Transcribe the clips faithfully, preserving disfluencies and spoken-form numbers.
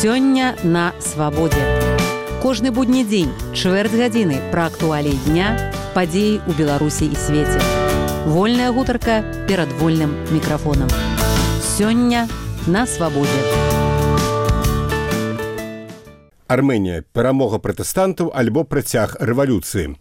Сёння на свабодзе. Кожны будні дзень, чвэрць гадзіны пра актуаліі дня, падзеі ў Беларусі і свеце. Вольная гутарка перад вольным мікрафонам. Сёння на свабодзе. Арменія. Перамога пратэстантаў альбо працяг рэвалюцыі.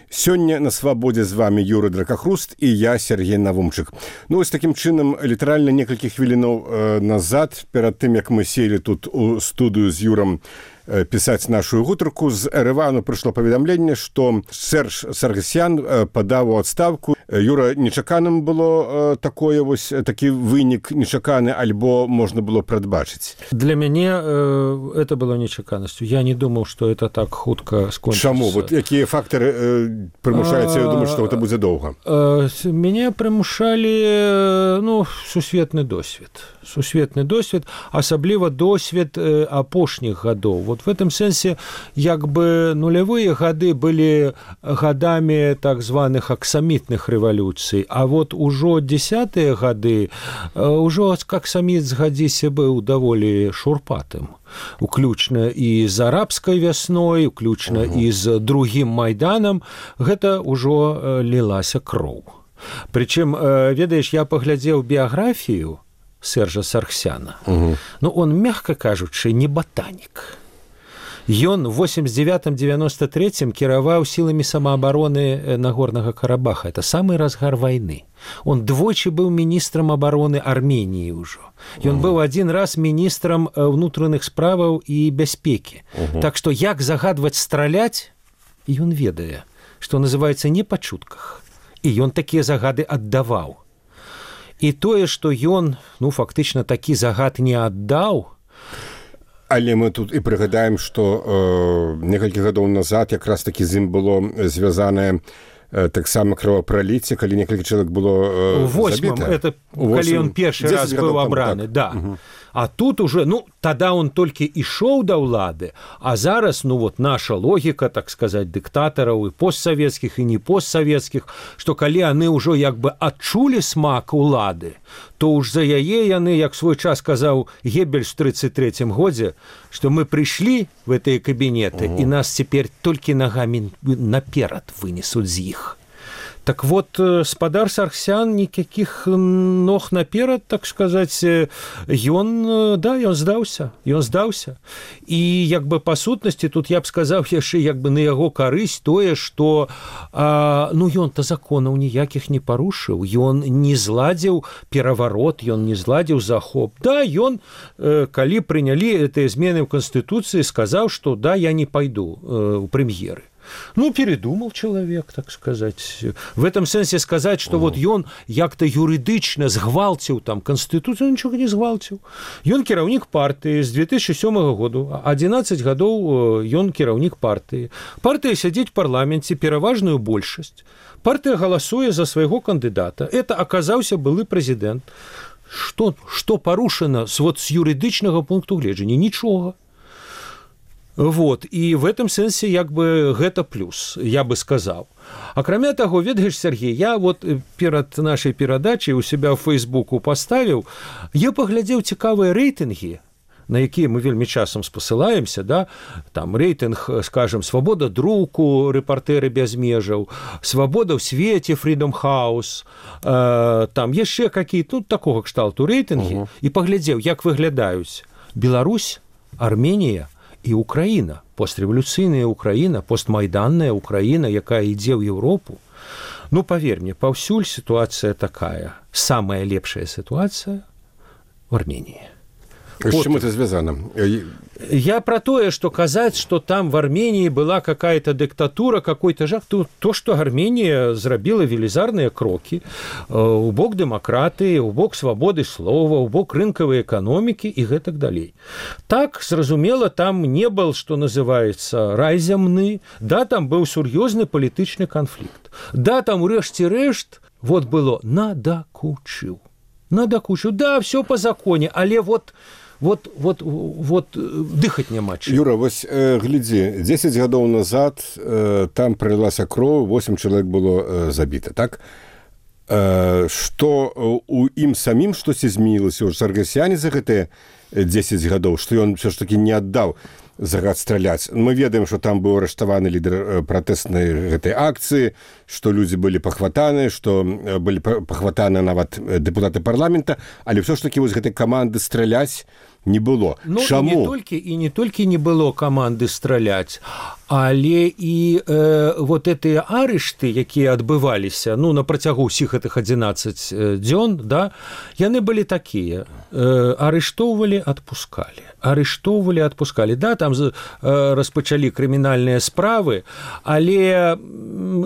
Сёння на свабодзе з вами Юры Дракахруст і я, Сергей Навумчык. Ну, ось такім чынам, літаральна некалькі хвілінаў э, назад, перад тым, як мы сели тут у студыю з Юрам э, пісаць нашу гутарку, з Еревану прыйшло паведамленне, што Серж Саргсян э, падаў у адстаўку. Юра, нечаканым было э, такое вось, такі вынік нечаканы, альбо можна было прадбачыць? Для мяне э, это было нечаканасцю. Я не думаў, што это так хутка скончыцца. Чаму? Вот якія фактары э, прымушаюцца, я думаю, што гэта будзе доўга? Э, мяне прымушалі, ну, сусветны досвед. Сусветны досвед, асабліва досвед э, апошніх гадоў. Вот в этом сэнсе, як бы нулявыя гады былі гадамі так званых аксамітных рэвалюцый, а вот ужо дзесятыя гады ўжо аксаміт, згадзіся, быў даволі шурпатым. Уключна і з арабскай вясной, уключна uh-huh. і з другім майданам, гэта ўжо лілася кроў. Прычым, ведаеш, я паглядзеў біяграфію Сержа Саргсяна. Uh-huh. Ну, он, мягка кажучы, не ботанік. Ён в восемьдесят девятом девяносто третьем кіраваў сіламі самаабароны Нагорнага Карабаха. Это самы разгар вайны. Он двойчы быў міністрам абароны Арменіі ўжо. Ён uh-huh. быў адзін раз міністрам ўнутраных справаў і бяспекі. Uh-huh. Так што як загадваць страляць, ён ведае, што называецца не па чутках. І ён такія загады аддаваў. І тое, што ён, ну, фактычна такі загад не аддаў. Але мы тут і прыгадаем, што э, некалькі гадоў назад якраз такі з ім было звязанае э, таксама кровапраліцце, калі некалькі чалавек было э, восьмым, забіта. Это калі ён першы раз быў абраны, так. Да. Угу. А тут уже, ну, тада он толькі ішоў да ўлады, а зараз, ну, вот наша логіка, так сказаць, дыктатараў і постсавецкіх, і не постсавецкіх, што калі яны ўжо як бы адчулі смак улады, то ўж за яе яны, як свой час казаў Геббельс в тридцать третьем годзе, што мы прыйшлі в гэтыя кабінеты, угу. і нас цяпер толькі нагамі наперад вынесуць з іх. Так вот, спадар Саргсян никаких ног наперад, так сказать, ён, да, ён здаўся, ён здаўся. І, як бы, па сутнасці, тут я б сказаў яшчэ, як бы, на яго карысць тое, што, а, ну, ён-то законаў ніякіх не парушыў, ён не зладзіў пераварот, ён не зладзіў захоп. Да, ён, э, калі прынялі гэтыя змены ў Канстытуцыі, сказаў, што, да, я не пайду э, у прэм'еры. Ну, передумал человек, так сказать. В этом сенсе сказать, что вот ён як-то юридычна згвалціў там Конституцию, ничего не згвалціў. Ён кіраўнік партыі з две тысячи сёмага году, адзінаццаць гадоў ён кіраўнік партыі. Партыя сядзіць в парламенце, пераважную большасць. Партыя галасуе за свайго кандыдата. Это аказаўся былы прэзідэнт. Што, што парушана с, вот, с юридычнага пункту гледжання? Нічога. Вот, і в этом сэнсе, як бы, гэта плюс, я бы сказаў. Акрамя таго, ведаеш, Сергей, я вот перад нашай перадачай у себя ў Фейсбуку паставіў, я паглядзеў цікавыя рэйтынгі, на якія мы вельмі часам спасылаемся, да, там рэйтынг, скажем, «Свабода друку», «Рэпартэры без межаў», «Свабода ў свеце», «Freedom House», э, там яшчэ какие-то, ну, такога кшталту рэйтынгі, uh-huh. і паглядзеў, як выглядаюць Беларусь, Арменія і Украіна, пострэвалюцыйная Украіна, постмайданная Украіна, якая ідзе ў Еўропу. Ну, паверь мне, паўсюль сітуацыя такая. Самая лепшая сітуацыя в Армении. С чем это связано? Я про то, что казать, что там в Армении была какая-то диктатура, какой-то жах, то, то что Армения зрабила велізарныя крокі у бок дэмакратыі, у бок свабоды слова, у бок рынкавай эканомікі і гэтак далей. Так, зразумела, там не был, что называется, рай зямны, да, там быў сур'ёзны палітычны канфлікт. Да, там урэшце рэшт, вот было надакучыў. Надакучыў, да, все по законе, але вот Вот, вот, вот дыхаць няма чым. Юра, вось э, глядзі, дзесяць гадоў назад э, там прылілася кроў, восемь чалавек было э, забіта, так? што у ім самім штосьці змянілася ў Саргасяне за гэтыя дзесяць гадоў, што ён все ж таки не аддаў загад страляць. Мы ведаем, што там быў арыштаваны лідар пратэснай гэтай акцыі, што людзі былі пахватаны, што былі пахватаны нават дэпутаты парламента, але все ж таки вось гэтай каманды страляць не было. Ну, Чаму? І не толькі, і не толькі не было каманды страляць, але і э, вот гэтыя арышты, якія адбываліся, ну, на працягу ўсіх гэтых адзінаццаць дзён, да, яны былі такія. Э, арыштоўвалі, адпускалі. Арыштоўвалі, адпускалі. Да, там э, распачалі крымінальныя справы, але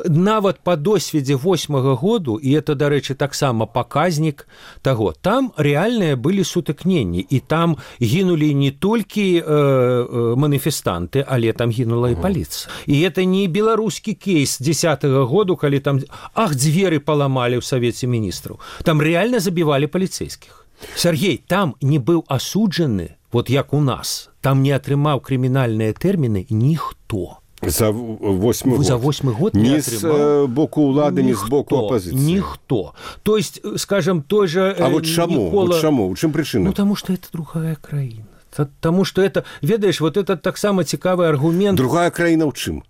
нават па досведзе восьмага году, і это, дарэчы, таксама паказнік таго, там рэальныя былі сутыкненні, і там гінулі не толькі э, маніфестанты, але там гінула і паліцыя. І это не беларускі кейс дзесятага году, калі там, ах, дзверы паламалі ў Савеце міністраў. Там рэальна забівалі паліцэйскіх. Сергей, там не быў асуджаны, вот як у нас, там не атрымаў крымінальныя тэрміны ніхто. За восьмы год. За восьмы год не не з боку ўлады, ні з боку апозіцыі. Ніхто. То есть, скажем, той же... А вот чаму? Никола... Вот чаму? У чым прычына? Ну, потому что это другая краіна. Потому что это, ведаешь, вот это таксама цікавы аргумент. Другая краіна ў чым?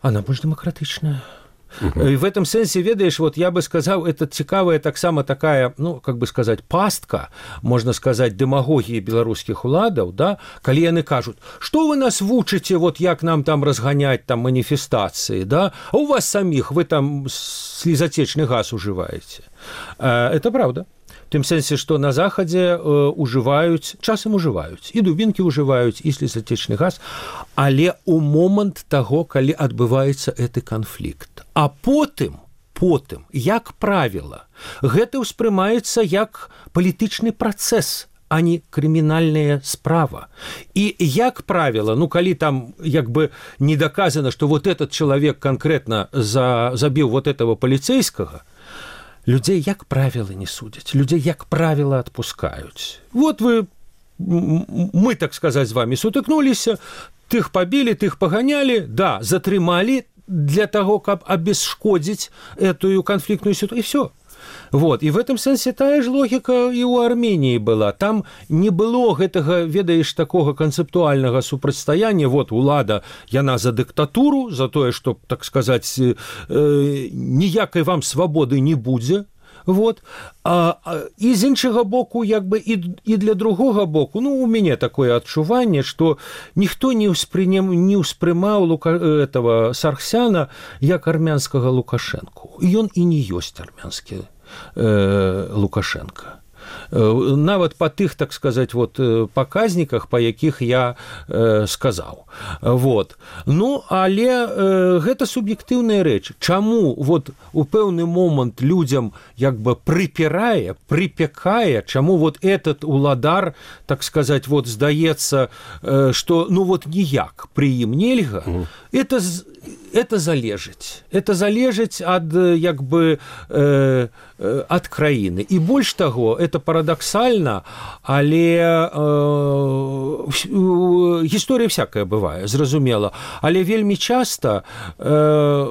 Она больш дэмакратычная. Uh-huh. И в этом сенсе, ведаешь, вот я бы сказал, это цікавая таксама такая, ну, как бы сказать, пастка, можно сказать, дэмагогіі беларускіх уладаў, да, калі яны кажуць, что вы нас вучыце, вот як нам там разгонять там маніфестацыі, да, а у вас самих, вы там слезотечный газ уживаете. Это правда. В тым сенсе, што на захадзе э, ужываюць, часам ужываюць, і дубінкі ужываюць, і слезатечны газ, але ў момант таго, калі адбываецца гэты канфлікт. А потым, потым, як правіла, гэта ўспрымаецца як палітычны працэс, а не крымінальная справа. І, як правіла, ну, калі там, як бы, не доказано, што вот этот чалавек конкретно за, забіў вот этого паліцейскага, людзей, як правіла, не судзяць. Людзей, як правіла, адпускаюць. Вот вы, мы, так сказаць, з вами сутыкнуліся, тых пабілі, тых паганялі, да, затрымалі для таго, каб абесшкодзіць эту канфліктную сітуацыю, і всё. Вот. І в этом сенсе тая ж логіка і ў Арменіі была. Там не было гэтага, ведаеш, такога канцэптуальнага супрацьстаяння. Вот улада, яна за дыктатуру, за тое, што, так сказаць, э, ніякай вам свабоды не будзе. Вот. А, а, і з іншага боку, як бы, і, і для другога боку, ну, у мяне такое адчуванне, што ніхто не, ўспрынем, не ўспрымаў Лука, этого Саргсяна як армянскага Лукашэнку. Ён і не ёсць армянскі э, Лукашенко. Нават па тых, так сказаць, вот, паказніках, па якіх я э, сказаў. Вот. Ну, але э, гэта суб'ектыўная рэч. Чаму вот у пэўны момант людзям як бы прыпірае, прыпякае, чаму вот этот уладар, так сказаць, вот здаецца, э, што ну вот ніяк пры ім нельга, mm. это это залежыць. Это залежыць ад, як бы, э, э, ад краіны. І больш таго, это парадаксальна, але э, гісторыя всякая бывае, зразумела. Але вельмі часта э,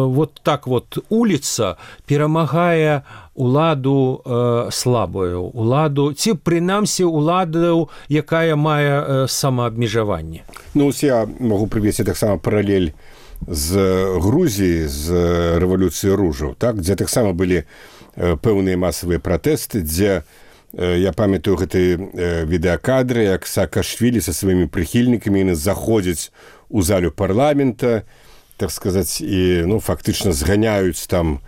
вот так вот улица перамагае уладу э, слабую, уладу, ці прынамсі уладу, якая мае э, самаабмежаванне. Ну, я могу прывесці таксама паралель з Грузіі, з рэвалюцыі ружаў, так, дзе таксама былі пэўныя масавыя пратэсты, дзе я памятаю гэтыя відэакадры, як Саакашвілі са сваімі прыхільнікамі яны заходзяць у залю парламента, так сказаць, і ну, фактычна зганяюць там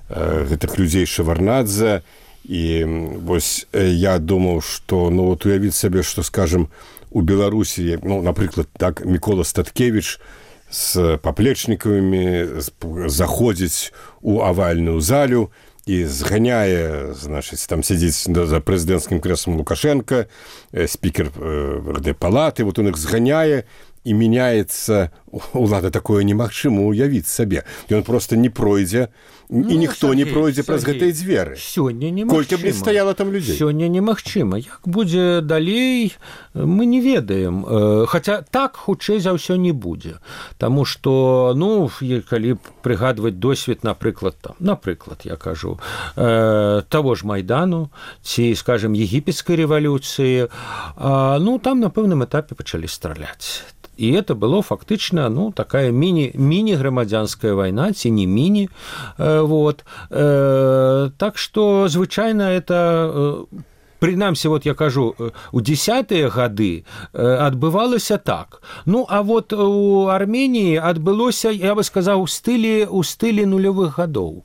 гэтых людзей Шаварнадзе. І вось я думаў, што ну, вот уявіць сабе, што, скажем, у Беларусі, ну, напрыклад, так, Мікола Статкевіч з паплечнікамі заходзіць у авальную залю і зганяе, значыць, там сядзіць за прэзідэнцкім крэслам Лукашенка, спікер гэтай палаты, вот он іх зганяе і мяняецца улада, такое немагчыма ўявіць сабе. Ён просто не пройдзе, ну, і ніхто Сергей, не пройдзе праз гэтыя дзверы. Сёння немагчыма. Колькі б не стаяла там людзей. Сёння немагчыма. Як будзе далей, мы не ведаем. Хаця так хутчэй за ўсё не будзе. Таму што, ну, калі прыгадваць досвед, напрыклад, там, напрыклад, я кажу, э, таго ж Майдану, ці, скажем, егіпецкай рэвалюцыі, э, ну, там на пэўным этапе пачалі страляць. І это было фактычна, ну, такая міні, міні-грамадзянская вайна, ці не міні. Э, вот. э, так што, звычайна, это... Э, Прынамсі, вот я кажу, у дзесятыя гады адбывалася так. Ну, а вот у Арменіі адбылося, я бы сказаў, у стылі, у стылі нулявых гадоў,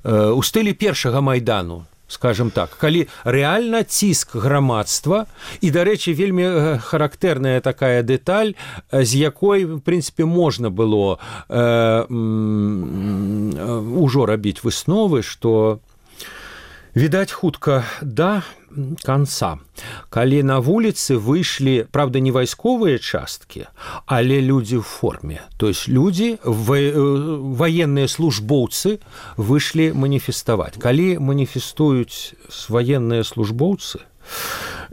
у стылі першага Майдану, скажем так, калі рэальна ціск грамадства, і, дарэчы, вельмі характэрная такая дэталь, з якой, в прынцыпе, можна было э, ўжо рабіць высновы, што, відаць, хутка да канца. Калі на вуліцы выйшлі, правда, не вайсковыя часткі, але людзі ў форме. То есть людзі, ваенныя службоўцы выйшлі маніфеставаць. Калі маніфестуюць ваенныя службоўцы,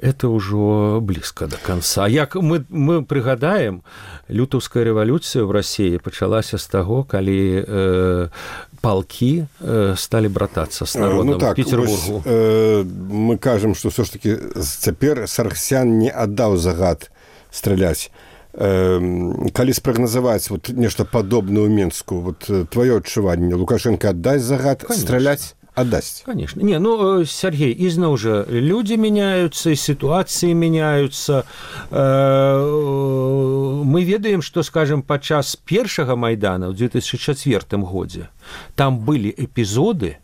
это ўжо блізка да канца. Як мы, мы прыгадаем, лютаўская рэвалюцыя ў Расіі пачалася з таго, калі э, палкі э, сталі братацца з народам ну, так, Петербургу. Вось, э, мы кажам, што ўсё ж такі цяпер Саргсян не аддаў загад страляць. Э, калі спрагназаваць вот, нешта падобнае ў Менску, вот, тваё адчуванне, Лукашенко аддасць загад Конечно. Страляць? Отдасть. Конечно. Не, ну, Сергей, изна уже люди меняются, ситуации меняются. Мы ведаем, что, скажем, падчас першага Майдана в две тысячи четвёртым годзе там были эпизоды,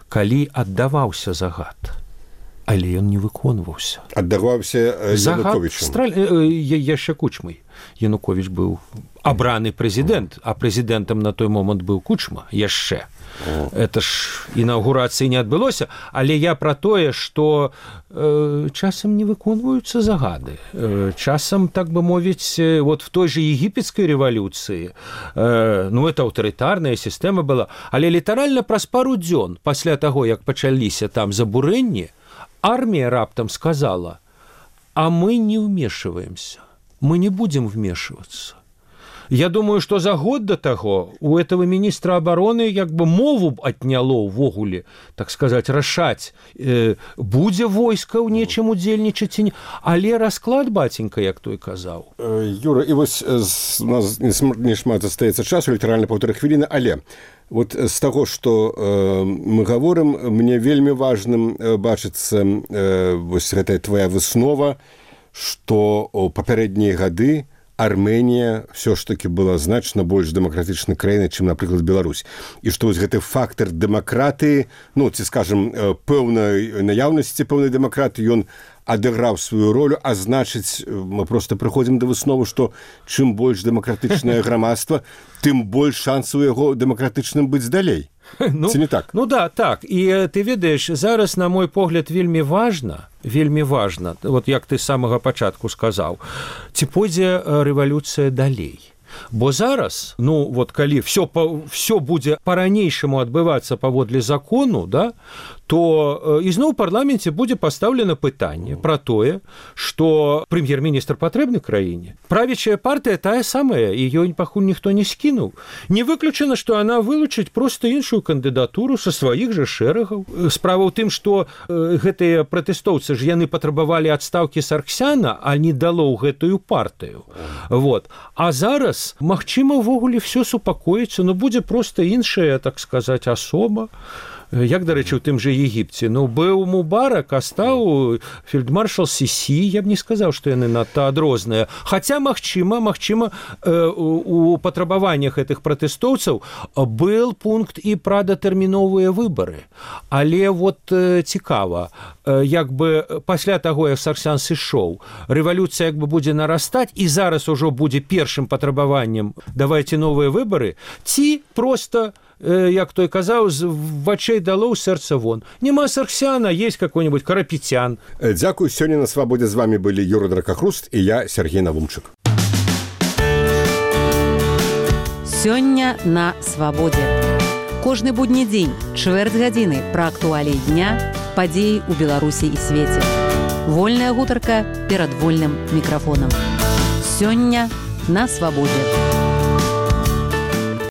калі аддаваўся загад, але ён не выконваўся. Аддаваўся Януковичем. Страль... Яшчэ Кучмай. Янукович быў абраны прэзідэнт, а прэзідэнтам на той момант быў Кучма яшчэ. Это ж інаўгурацыі не адбылося, але я пра тое, што э, часам не выконваюцца загады. Э, часам, так бы мовіць, вот в той же егіпецкай рэвалюцыі, э, ну, это аўтарытарная сістэма была, але літаральна праз пару дзён пасля таго, як пачаліся там забурэнні, армія раптам сказала: а мы не вмешиваемся, мы не будем вмешиваться. Я думаю, что за год до того у этого министра обороны как бы мову отняло увогуле, так сказать, рашаць, э, будзе войска ў нечым удзельнічаць ці не. Але расклад, баценька, як той казаў. Юра, і вось у нас не шмат застаецца часу, літаральна паўтары хвіліны, але вот з таго, што э, мы гаворым, мне вельмі важным э, бачыцца э, вось гэтая твая выснова, што ў папярэднія гады Арменія все ж таки была значна больш дэмакратычнай краінай, чым, напрыклад, Беларусь. І што вось гэты фактар дэмакратыі, ну, ці, скажам, пэўнай наяўнасці пэўнай дэмакратыі, ён адыграў сваю ролю, а значыць, мы проста прыходзім да высновы, што чым больш дэмакратычнае грамадства, тым больш шансаў яго дэмакратычным быць далей. Ну, ці не так? Ну да, так. І ты ведаеш, зараз, на мой погляд, вельмі важна, вельмі важна, вот як ты з самага пачатку сказаў, ці пойдзе рэвалюцыя далей. Бо зараз, ну, вот калі все, все будзе па-ранейшаму адбывацца паводле закону, да, то ізноў у парламенце будзе пастаўлена пытанне пра тое, што прэм'ер-міністр патрэбны краіне. Правячая партыя тая самая, і ёй пакуль ніхто не скінуў. Не выключана, што яна вылучыць проста іншую кандыдатуру са сваіх жа шэрагаў. Справа ў тым, што гэтыя пратэстоўцы ж яны патрабавалі адстаўкі Саргсяна, а не дало ў гэтую партыю. Вот. А зараз, магчыма, увогуле все супакоіцца, но будзе проста іншая, так сказаць, асоба. Як, дарэчы, у тым жа Егіпце. Ну, быў Мубарак, а стаў фельдмаршал Сісі, я б не сказаў, што яны надта адрозныя. Хаця, магчыма, магчыма, у патрабаваннях гэтых пратэстоўцаў был пункт і пра датэрміновыя выбары. Але вот цікава, як бы пасля таго, як Саргсян сышоў, рэвалюцыя як бы будзе нарастаць, і зараз ужо будзе першым патрабаваннем давайце новыя выбары, ці проста, як той казаў, з вачэй дало, сэрца вон. Нема Саргсяна, есть какой-нибудь Карапетян. Дзякуй. Сёння на Свабодзе з вами былі Юра Дракахруст і я, Сергей Навумчык. Сёння на свабодзе. Кожны будні дзень, чвэрць гадзіны пра актуаліі дня, падзеі ў Беларусі і свеце. Вольная гутарка перад вольным мікрафонам. Сёння на свабодзе.